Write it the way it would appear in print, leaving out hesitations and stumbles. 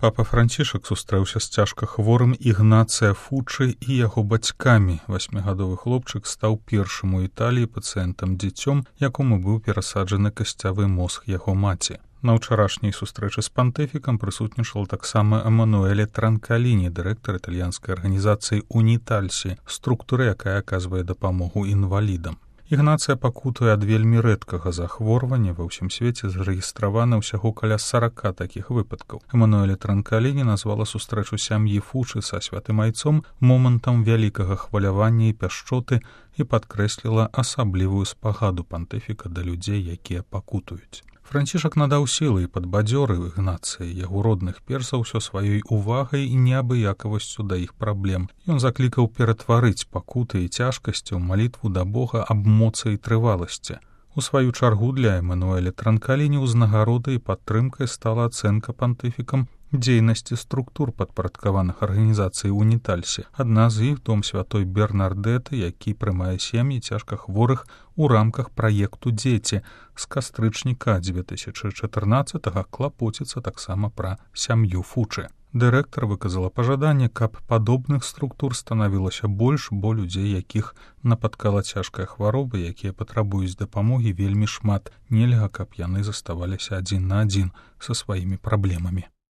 Папа Францішак сустрэўся з цяжка хворым Ігнацыя Фучы і яго бацькамі. 8гадовы хлопчык стаў першым у Італіі пацыентам-дзіцём, якому быў перасаджаны касцявы мозг яго маці. На ўчарашняй сустрэчы з пантыфікам прысутнічала таксама Эмануэле Транкаліні, дырэктар італьянскай арганізацыі «Унітальсі», структуры, якая аказвае дапамогу інвалідам. Ігнацыя пакутуе ад вельмі рэдкага захворвання. Ва ўсім свеце зарэгістравана ўсяго каля 40 такіх выпадкаў. Эмануэле Транкаліні назвала сустрэчу сям'і Фучы са святым айцом момантам вялікага хвалявання і пяшчоты і падкрэсліла асаблівую спагаду пантыфіка да людзей, якія пакутуюць. Францішак надаў сілы і падбадзёрыў Ігнацыі, яго родных перш за ўсё сваёй увагай і неабыякавасцю да іх праблем. Ён заклікаў ператварыць пакуты і цяжкасці ў малітву да Бога аб моцы і трываласці. У сваю чаргу для Эмануэля Транкаліні ўзнагародай і падтрымкай стала ацэнка пантыфікам дзейнасці структур падпарадкаваных арганізацый «Унітальсі». Адна з іх дом святой Бернардэты, які прымае сем'і цяжка хворых у рамках праекту «Дзеці». З кастрычніка 2014-го клапоціцца таксама пра сям'ю Фучы. Дырэктар выказала пажаданне, каб падобных структур станавілася больш, бо людзей, якіх напаткала цяжкая хвароба, якія патрабуюць дапамогі, вельмі шмат. Нельга, каб яны заставаліся адзін на адзін са сваімі праблемамі.